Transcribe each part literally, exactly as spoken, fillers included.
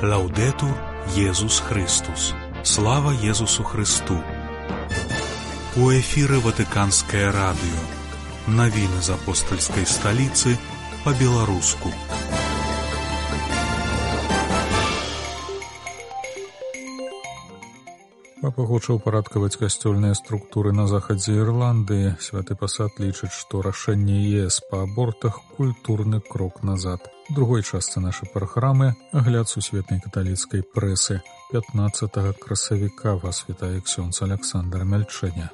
Лаўдэтур Езус Христус. Слава Езусу Христу. У эфіры Ватыканскае радыё. Навіны з апостальскай сталіцы па-беларуску. Папа хоча ўпарадкаваць касцёльныя структуры на захадзе Ірландыі. Святы пасад лічыць, што рашэнне ЕС па абортах – культурны крок назад. У другой частцы нашай праграмы агляд сусветнай каталіцкай прэсы. пятнаццатага красавіка вас вітае ксёндз Аляксандр Мяльчэня.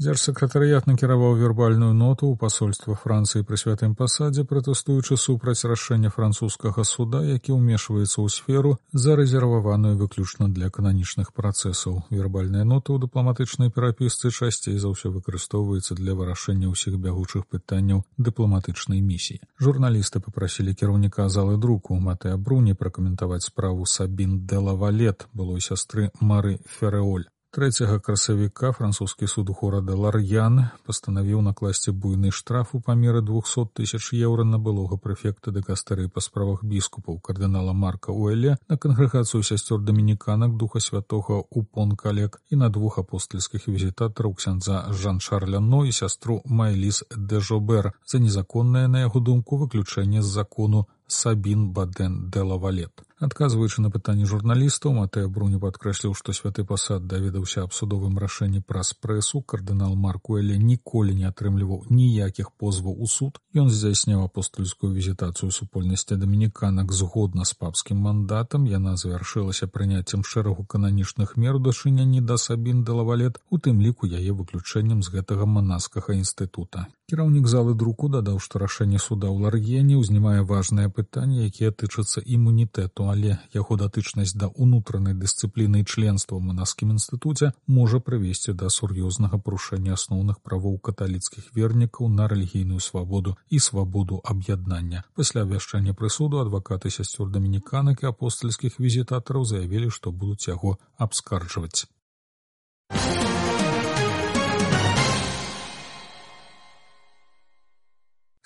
Дзяржсакратарыят накіраваў вербальную ноту ў пасольства Францыі пры святым пасадзе, пратэстуючы супраць рашэння французскага суда, які ўмешваецца ў сферу, зарэзерваваную выключна для кананічных працэсаў. Вербальная нота ў дыпламатычнай перапісцы часцей за ўсё выкарыстоўваецца для вырашэння ўсіх бягучых пытанняў дыпламатычнай місіі. Журналісты папрасілі кіраўніка залы друку Матэа Бруні пракаментаваць справу Сабін де Лавалет, былой сястры Мары Ферэоль. трэцяга красавіка французскі суд у горада Лар'ян пастанавіў накласці буйны штраф у памеры двухсот тысяч еўра на былога прэфекта дыкастэрыі па справах біскупаў кардынала Марка Уэлля, на кангрэгацыю сясцёр дамініканак духа святога у Пон-Калек і на двух апостальскіх візітатараў ксяндза Жан-Шарля Но і сястру Майліс де Жобер за незаконнае, на яго думку, выключэнне з закону Сабін Баден де Лавалет. Адказваючы на пытанні журналістаў, Матэа Бруні падкрэсліў, што святы пасад даведаўся аб судовым рашэнні праз прэсу. Кардынал Марк Уэлля ніколі не атрымліваў ніякіх позваў у суд. Ён здзяйсняў апостальскую візітацыю супольнасці дамініканак згодна з папскім мандатам. Яна завяршылася прыняццем шэрагу кананічных мер у дачыненні да Сабін де Лавалет, у тым ліку яе выключэннем з гэтага манаскага інстытута. Кіраўнік залы друку дадаў, што рашэнне суда ў Лар'ене ўзнімае важныя пытанні, якія тычацца імунітэту, але яго датычнасць да ўнутранай дысцыпліны і членства ў манаскім інстытуце можа прывесці да сур'ёзнага парушэння асноўных правоў каталіцкіх вернікаў на рэлігійную свабоду і свабоду аб'яднання. Пасля абвяшчання прысуду адвакаты сясцёр дамініканак і апостальскіх візітатараў заявілі, што будуць яго абскарджваць.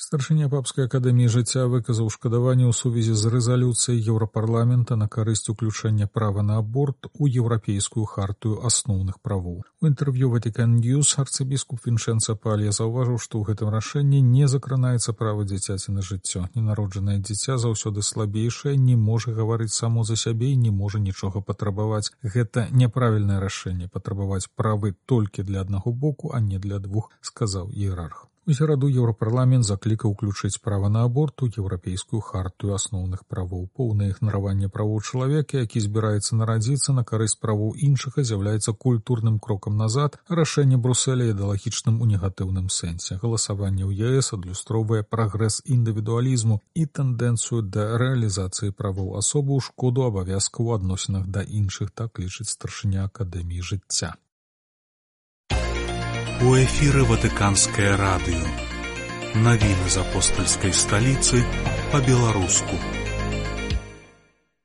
Старшыня папскай акадэміі жыцця выказаў шкадаванне ў сувязі з рэзалюцыяй Еўрапарламента на карысць уключэння права на аборт у еўрапейскую хартыю асноўных правоў. У інтэрв'ю Ватикан Ньюс арцыбіскуп Вінчэнца Палья заўважыў, што ў гэтым рашэнні не закранаецца права дзіцяці на жыццё. Ненароджанае дзіця заўсёды слабейшае, не можа гаварыць само за сябе і не можа нічога патрабаваць. Гэта няправільнае рашэнне патрабаваць правы толькі для аднаго боку, а не для двух, сказаў іерарх. У сераду Еўрапарламент заклікаў уключыць права на аборт у еўрапейскую хартыю асноўных правоў. Поўнае ігнараванне правоў чалавека, які збіраецца нарадзіцца на карысць правоў іншага, з'яўляецца культурным крокам назад, а рашэнне Брюсселя ідэалагічным у негатыўным сэнсе. Галасаванне ў ЕС адлюстроўвае прагрэс індывідуалізму і тэндэнцыю да рэалізацыі правоў асобы ў шкоду абавязкаў у адносінах да іншых, так лічыць старшыня акадэміі жыцця. У эфіры Ватыканскае радыё. Навіны з апостальскай сталіцы па-беларуску.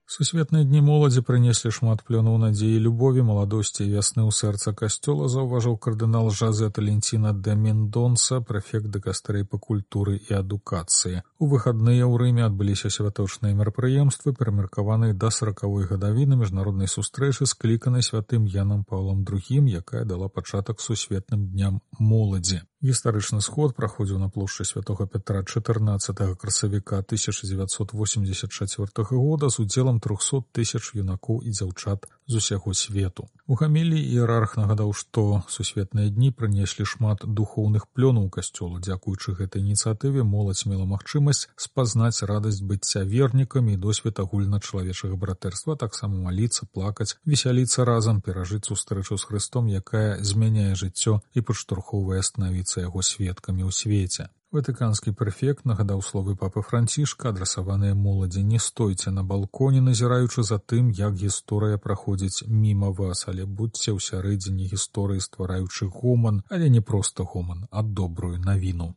Сусветныя дні моладзі прынеслі шмат плёнаў надзеі, любові, маладосці і вясны ў сэрца касцёла, заўважыў кардынал Жозе Таленціна де Мендонса, прэфект дыкастэрыі па культуры і адукацыі. У выхадныя ў Рыме адбыліся святочныя мерапрыемствы, прымеркаваныя да саракавой гадавіны міжнароднай сустрэчы, скліканай святым Янам Паўлам другім, якая дала пачатак сусветным дням моладзі. Гістарычны сход праходзіў на плошчы святога Пятра чатырнаццатага красавіка тысяча дзевяцьсот восемьдесят чацвёртага года з удзелам трохсот тысяч юнакоў і дзяўчат з усяго свету. У гаміліі іерарх нагадаў, што сусветныя дні прынеслі шмат духоўных плёнаў касцёла. Дзякуючы гэтай ініцыятыве моладзь мела магчымасць спазнаць радасць быцця вернікамі і досвед агульначалавечага братэрства, таксама маліцца, плакаць, весяліцца разам, перажыць сустрэчу з Хрыстом, якая змяняе жыццё і падштурхоўвае станавіцца яго сведкамі ў свеце. Ватыканскі прэфект нагадаў словы папы Францішка, адрасаваныя моладзі: не стойце на балконе, назіраючы за тым, як гісторыя праходзіць міма вас, але будзьце ў сярэдзіне гісторыі, ствараючы гоман, але не проста гоман, а добрую навіну.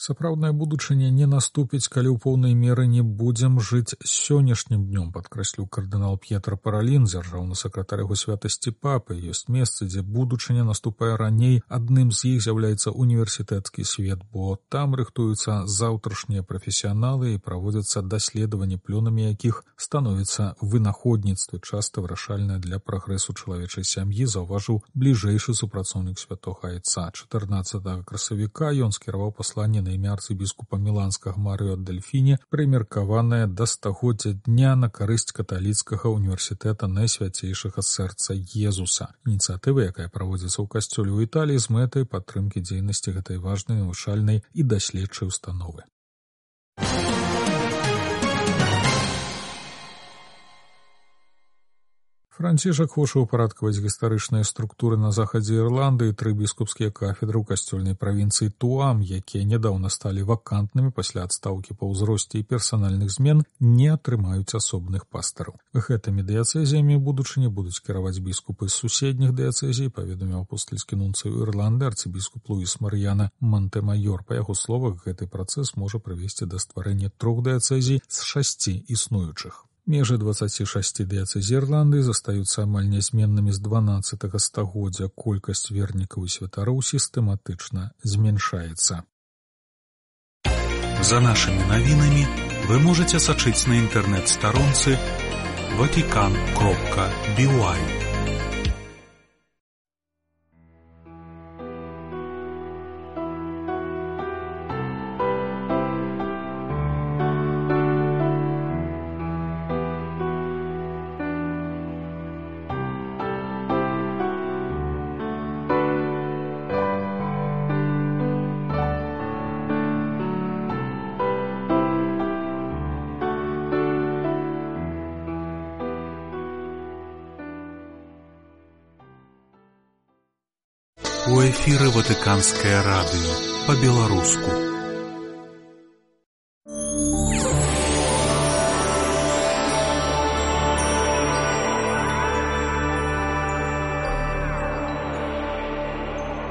Сапраўдная будучыня не наступіць, калі ў поўнай меры не будзем жыць сённяшнім днём, падкрэсліў кардынал П'етра Паралін, дзяржаўны сакратар яго святасці папы. Ёсць месцы, дзе будучыня наступае раней. Адным з іх з'яўляецца універсітэцкі свет, бо там рыхтуюцца заўтрашнія прафесіяналы і праводзяцца даследаванні, плёнамі якіх становіцца вынаходніцтва, часта вырашальнае для прагрэсу чалавечай сям'і, заўважыў бліжэйшы супрацоўнік святога айца. чатырнаццатага красавіка ён скіраваў пасланне на імя арцыбіскупа міланскага Марыо Адельфіні, прымеркаванае да стагоддзя дня на карысць каталіцкага універсітэта Найсвяцейшага сэрца Езуса. Ініцыятыва, якая праводзіцца ў касцёле ў Італіі з мэтай падтрымкі дзейнасці гэтай важнай навучальнай і даследчай установы. Францішак хоча ўпарадкаваць гістарычныя структуры на захадзе Ірландыі. Тры біскупскія кафедры ў касцёльнай правінцыі Туам, якія нядаўна сталі вакантнымі пасля адстаўкі па ўзросце і персанальных змен, не атрымаюць асобных пастараў. Гэтымі дыяцэзіямі будучыні будуць кіраваць біскупы з суседніх дыяцэзій, паведаміў апостальскі нунцый Ірланды арцыбіскуп Луіс Мар'яна Монтэмайор. Па яго словах, гэты працэс можа прывесці да стварэння трох дыяцэзій з шасці існуючых. Межы дваццаці шасці дыяцэзій Ірландыі застаюцца амаль нязменнымі з дванаццатага стагоддзя. Колькасць вернікаў і святароў сістэматычна змяншаецца. За нашымі навінамі вы можаце сачыць на інтэрнэт-старонцы ватикан кропка би уай. У эфіры Ватыканскае радыё па-беларуску.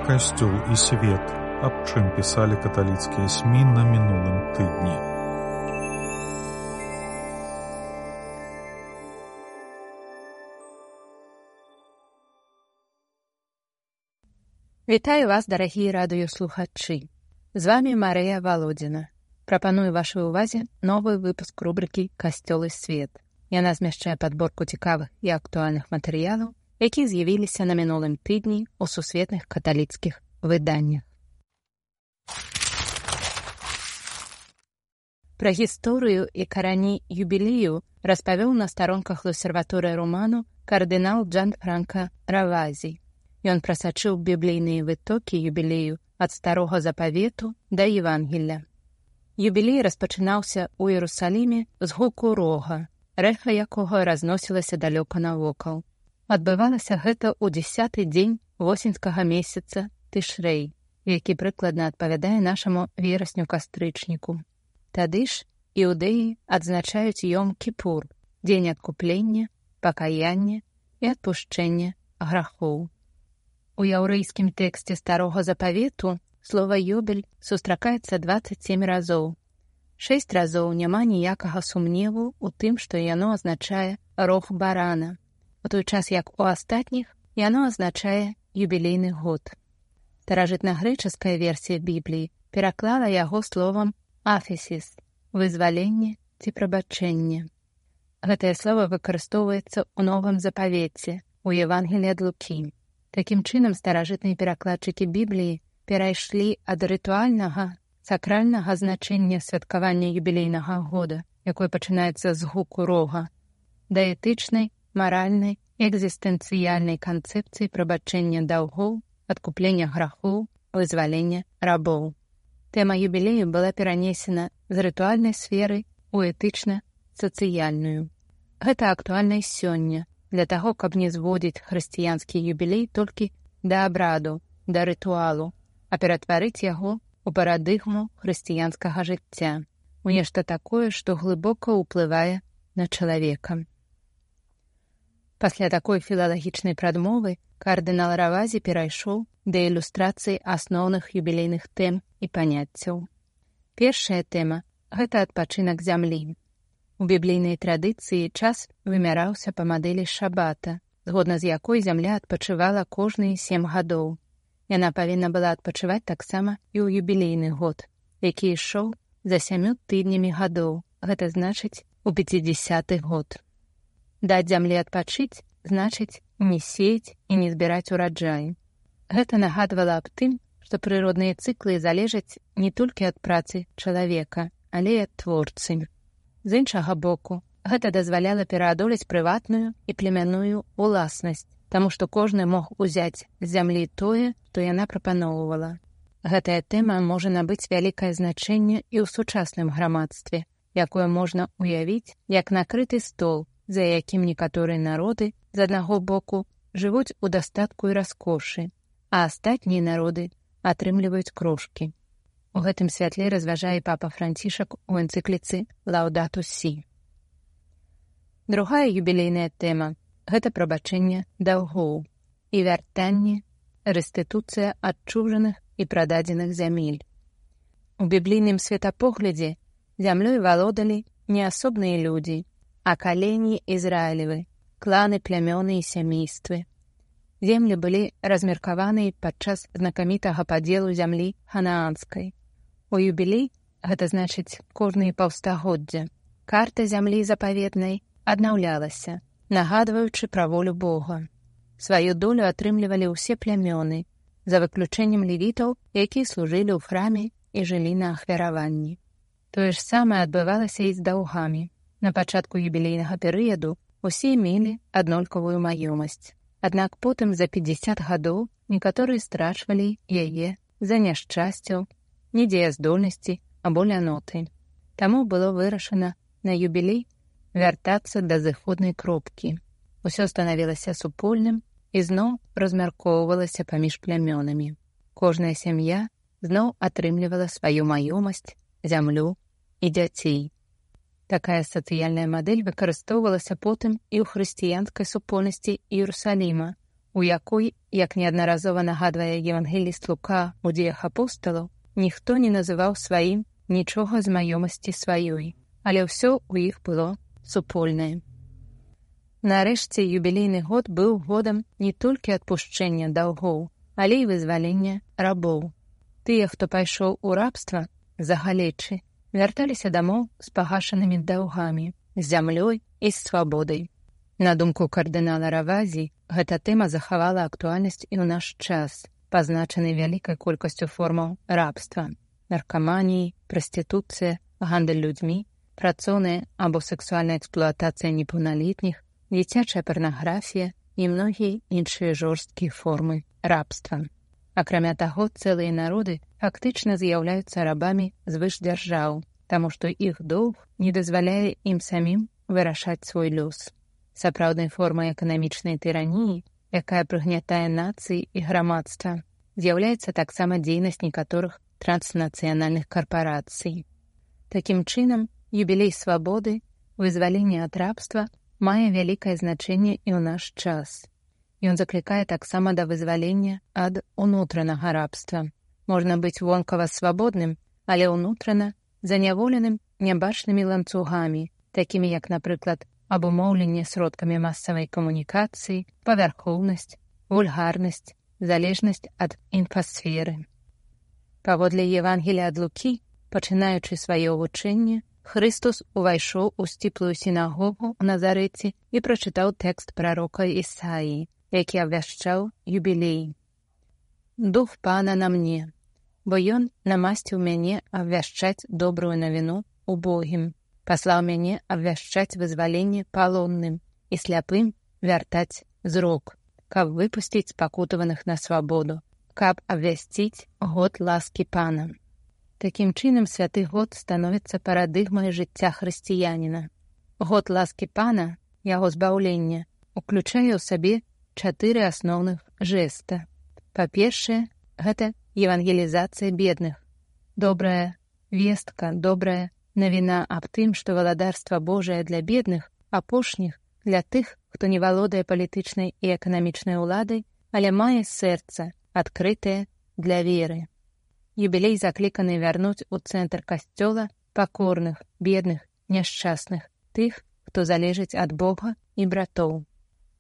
Касцёл і свет. Аб чым пісалі каталіцкія СМІ на мінулым тыдні. Вітаю вас, дарагія радыёслухачы. З вамі Марыя Валодзіна. Прапаную вашай увазе новы выпуск рубрыкі «Касцёл і свет». Яна змяшчае падборку цікавых і актуальных матэрыялаў, якія з'явіліся на мінулым тыдні ў сусветных каталіцкіх выданнях. Пра гісторыю і карані юбілею распавёў на старонках Лосерваторыя Роману кардынал Джанфранка Равазі. Ён прасачыў біблійныя вытокі юбілею ад старога запавету да Евангелля. Юбілей распачынаўся ў Іерусаліме з гуку рога, рэха якога разносілася далёка навокал. Адбывалася гэта ў дзесяты дзень восеньскага месяца Тышрэй, які прыкладна адпавядае нашаму верасню-кастрычніку. Тады ж іўдэі адзначаюць Йом-Кіпур, дзень адкуплення, пакаяння і адпушчэння грахоў. У яўрэйскім тэксце старога запавету слова «ёбель» сустракаецца дваццаць сем разоў. Шэсць разоў няма ніякага сумневу ў тым, што яно азначае рог барана, у той час як у астатніх яно азначае юбілейны год. Старажытнагрэчаская версія Бібліі пераклала яго словам «афесіс» – вызваленне ці прабачэнне. Гэтае слова выкарыстоўваецца ў новым запавеце, у Евангеліі ад Лукі. Такім чынам, старажытныя перакладчыкі Бібліі перайшлі ад рытуальнага, сакральнага значэння святкавання юбілейнага года, якое пачынаецца з гуку рога, да этычнай, маральнай і экзістэнцыяльнай канцэпцыі прабачэння даўгоў, адкуплення грахоў, вызвалення рабоў. Тэма юбілею была перанесена з рытуальнай сферы ў этычна-сацыяльную. Гэта актуальна і сёння, для таго, каб не зводзіць хрысціянскі юбілей толькі да абраду, да рытуалу, а ператварыць яго ў парадыгму хрысціянскага жыцця, у нешта такое, што глыбока ўплывае на чалавека. Пасля такой філалагічнай прадмовы кардынал Равазі перайшоў да ілюстрацыі асноўных юбілейных тэм і паняццяў. Першая тэма — гэта адпачынак зямлі. У біблійнай традыцыі час вымяраўся па мадэлі шабата, згодна з якой зямля адпачывала кожныя сем гадоў. Яна павінна была адпачываць таксама і ў юбілейны год, які ішоў за сямю тыднямі гадоў, гэта значыць у пяцідзясяты год. Даць зямлі адпачыць значыць не сеяць і не збіраць ураджай. Гэта нагадвала аб тым, што прыродныя цыклы залежаць не толькі ад працы чалавека, але і ад творцы. З іншага боку, гэта дазваляла пераадолець прыватную і племянную уласнасць, таму што кожны мог узяць з зямлі тое, што яна прапаноўвала. Гэтая тэма можа набыць вялікае значэнне і ў сучасным грамадстве, якое можна ўявіць як накрыты стол, за якім некаторыя народы з аднаго боку жывуць у дастатку і раскошы, а астатнія народы атрымліваюць крошкі. У гэтым святле разважае папа Францішак у энцыкліцы «Лаудатус сі». Другая юбілейная тэма — гэта прабачэнне даўгоў і вяртанне, рэстытуцыя адчужаных і прададзеных зямель. У біблійным светапоглядзе зямлёй валодалі не асобныя людзі, а калені Ізраілевы, кланы, плямёны і сямействы. Землі былі размеркаваныя падчас знакамітага падзелу зямлі ханаанскай. У юбілей, гэта значыць кожныя паўстагоддзя, карта зямлі запаветнай аднаўлялася, нагадваючы пра волю Бога. Сваю долю атрымлівалі ўсе плямёны, за выключэннем левітаў, якія служылі ў храме і жылі на ахвяраванні. Тое ж самае адбывалася і з даўгамі. На пачатку юбілейнага перыяду усе мелі аднолькавую маёмасць. Аднак потым за пятьдесят гадоў некаторыя страчвалі яе за няшчасцяў, недзеяздольнасці або ляноты. Таму было вырашана на юбілей вяртацца да зыходнай кропкі. Усё станавілася супольным і зноў размяркоўвалася паміж плямёнамі. Кожная сям'я зноў атрымлівала сваю маёмасць, зямлю і дзяцей. Такая сацыяльная мадэль выкарыстоўвалася потым і ў хрысціянскай супольнасці Іерусаліма, у якой, як неаднаразова нагадвае евангеліст Лука у дзеях апосталаў, ніхто не называў сваім нічога з маёмасці сваёй, але ўсё ў іх было супольнае. Нарэшце, юбілейны год быў годам не толькі адпушчэння даўгоў, але і вызвалення рабоў. Тыя, хто пайшоў у рабства за галечы, вярталіся дамоў з пагашанымі даўгамі, з зямлёй і з свабодай. На думку кардынала Равазі, гэта тэма захавала актуальнасць і ў наш час, пазначаны вялікай колькасцю формаў рабства, наркаманіі, прастытуцыя, гандаль людзьмі, працоўная або сексуальная эксплуатацыя непаўналетніх, дзіцячая парнаграфія і многія іншыя жорсткія формы рабства. Акрамя таго, цэлыя народы фактычна з'яўляюцца рабамі звышдзяржаў, таму што іх доўг не дазваляе ім самім вырашаць свой лёс. Сапраўднай формай эканамічнай тыраніі, якая прыгнятае нацыі і грамадства, з'яўляецца таксама дзейнасць некаторых транснацыянальных карпарацый. Такім чынам, юбілей свабоды, вызвалення ад рабства мае вялікае значэнне і ў наш час. Ён заклікае таксама да вызвалення ад унутранага рабства. Можна быць вонкава свабодным, але ўнутрана заняволеным нябачнымі ланцугамі, такімі як, напрыклад, абумоўленне сродкамі масавай камунікацыі, павярхоўнасць, вульгарнасць, залежнасць ад інфасферы. Паводле Евангелія ад Лукі, пачынаючы сваё вучэнне, Хрыстус увайшоў у сціплую сінагогу ў Назарэце і прачытаў тэкст прарока Ісаіі, які абвяшчаў юбілей. «Дух Пана на мне, бо ён намасціў мяне абвяшчаць добрую навіну убогім, паслаў мяне абвяшчаць вызваленне палонным і сляпым вяртаць зрок, каб выпусціць пакутаваных на свабоду, каб абвясціць год ласкі Пана». Такім чынам, святы год становіцца парадыгмай жыцця хрысціяніна. Год ласкі Пана, яго збаўлення, уключае ў сабе чатыры асноўных жэста. Па-першае, гэта евангелізацыя бедных. Добрая вестка, добрая навіна аб тым, што валадарства Божае для бедных, апошніх для тых, хто не валодае палітычнай і эканамічнай уладай, але мае сэрца, адкрытае для веры. юбілей закліканы вярнуць у цэнтр касцёла пакорных, бедных, няшчасных, тых, хто залежыць ад Бога і братоў.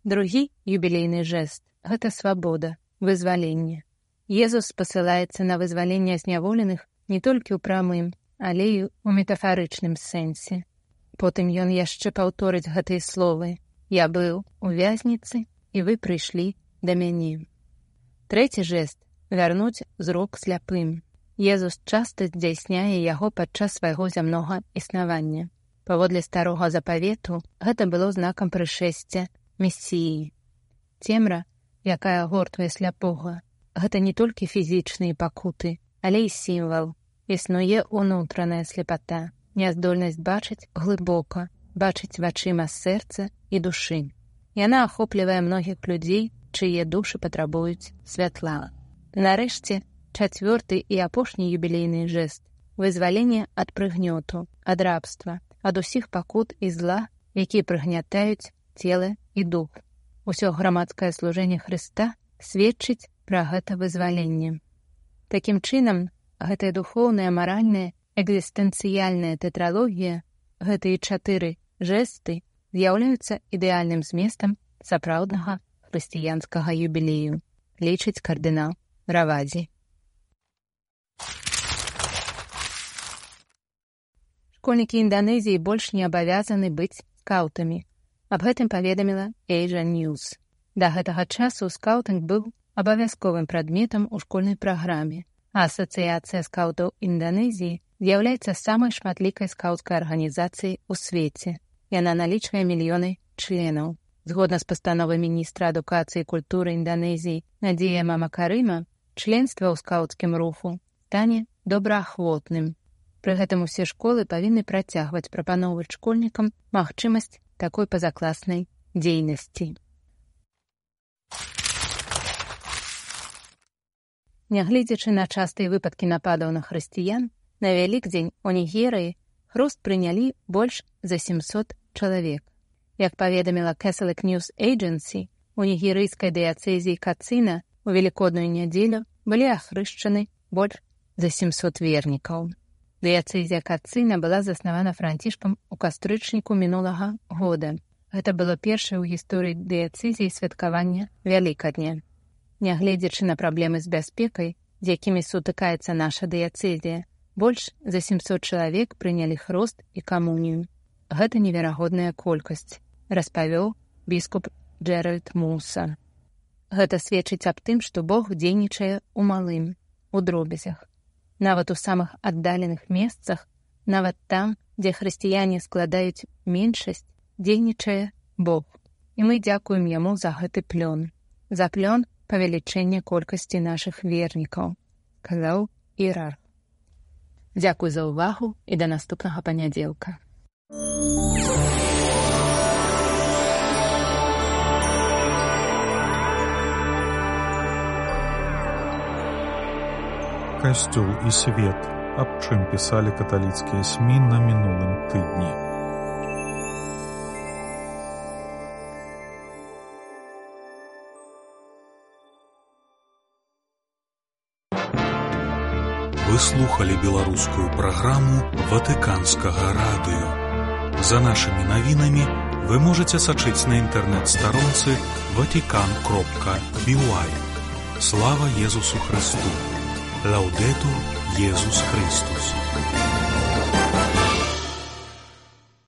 Другі юбілейны жэст – гэта свабода, вызваленне. Езус спасылаецца на вызваленне зняволеных не толькі ў прамым, але і ў метафарычным сэнсе. Потым ён яшчэ паўторыць гэтыя словы: «Я быў у вязніцы, і вы прыйшлі да мяне». Трэці жэст – вярнуць зрок сляпым. Езус часта здзяйсняе яго падчас свайго зямнога існавання. Паводле старога запавету, гэта было знакам прышэсця Месіі. Цемра, якая гортвае сляпога, гэта не толькі фізічныя пакуты, але і сімвал. Існуе унутраная сляпата, няздольнасць бачыць глыбока, бачыць вачыма сэрца і душы. Яна ахоплівае многіх людзей, чые душы патрабуюць святла. Нарэшце, чацвёрты і апошні юбілейны жэст – вызваленне ад прыгнёту, ад рабства, ад усіх пакут і зла, якія прыгнятаюць цела і дух. Усё грамадскае служэнне Хрыста сведчыць пра гэта вызваленне. Такім чынам, гэтая духоўная, маральная, экзістэнцыяльная тэтралогія, гэтыя чатыры жэсты з'яўляюцца ідэальным зместам сапраўднага хрысціянскага юбілею, лічыць кардынал Равазі. Школьнікі Інданезіі больш не абавязаны быць скаутамі. Аб гэтым паведаміла Asia News. Да гэтага часу скаутынг быў абавязковым прадметам у школьнай праграме, а Асацыяцыя скаутаў Інданезіі з'яўляецца самай шматлікай скаўцкай арганізацыяй у свеце. Яна налічвае мільёны членаў. Згодна з пастановай міністра адукацыі і культуры Інданезіі Надзія Мамакарыма, членства ў скаўцкім руху стане добраахвотным. Пры гэтым усе школы павінны працягваць прапаноўваць школьнікам магчымасць такой пазакласнай дзейнасці. Нягледзячы на частыя выпадкі нападаў на хрысціян, на Вялікдзень у Нігерыі хруст прынялі больш за сямсот чалавек. Як паведаміла Catholic News Agency, у нігерыйскай дыяцэзіі Кацына у Велікодную нядзелю былі ахрышчаны больш за сямсот вернікаў. Дыяцэзія Кацына была заснавана Францішкам у кастрычніку мінулага года. Гэта было першае ў гісторыі дыяцэзіі святкавання Вялікадня. Нягледзячы на праблемы з бяспекай, з якімі сутыкаецца наша дыяцэзія, больш за сямсот чалавек прынялі хрост і камунію. Гэта неверагодная колькасць, распавёў біскуп Джеральд Муса. Гэта сведчыць аб тым, што Бог дзейнічае ў малым, у дробязях. Нават у самых аддаленых месцах, нават там, дзе хрысціяне складаюць меншасць, дзейнічае Бог. І мы дзякуем яму за гэты плён. За плён павелічэння колькасці нашых вернікаў, казаў іерарх. Дзякуй за ўвагу і да наступнага панядзелка. Касцёл і свет. Аб чым пісалі каталіцкія СМІ на мінулым тыдні. Вы слухали беларускую праграму Ватыканскага радыё. За нашымі навінамі вы можаце сачыць на інтэрнэт-старонцы ватикан кропка би уай. Слава Езусу Христу! Лаудетур Иисус Христос.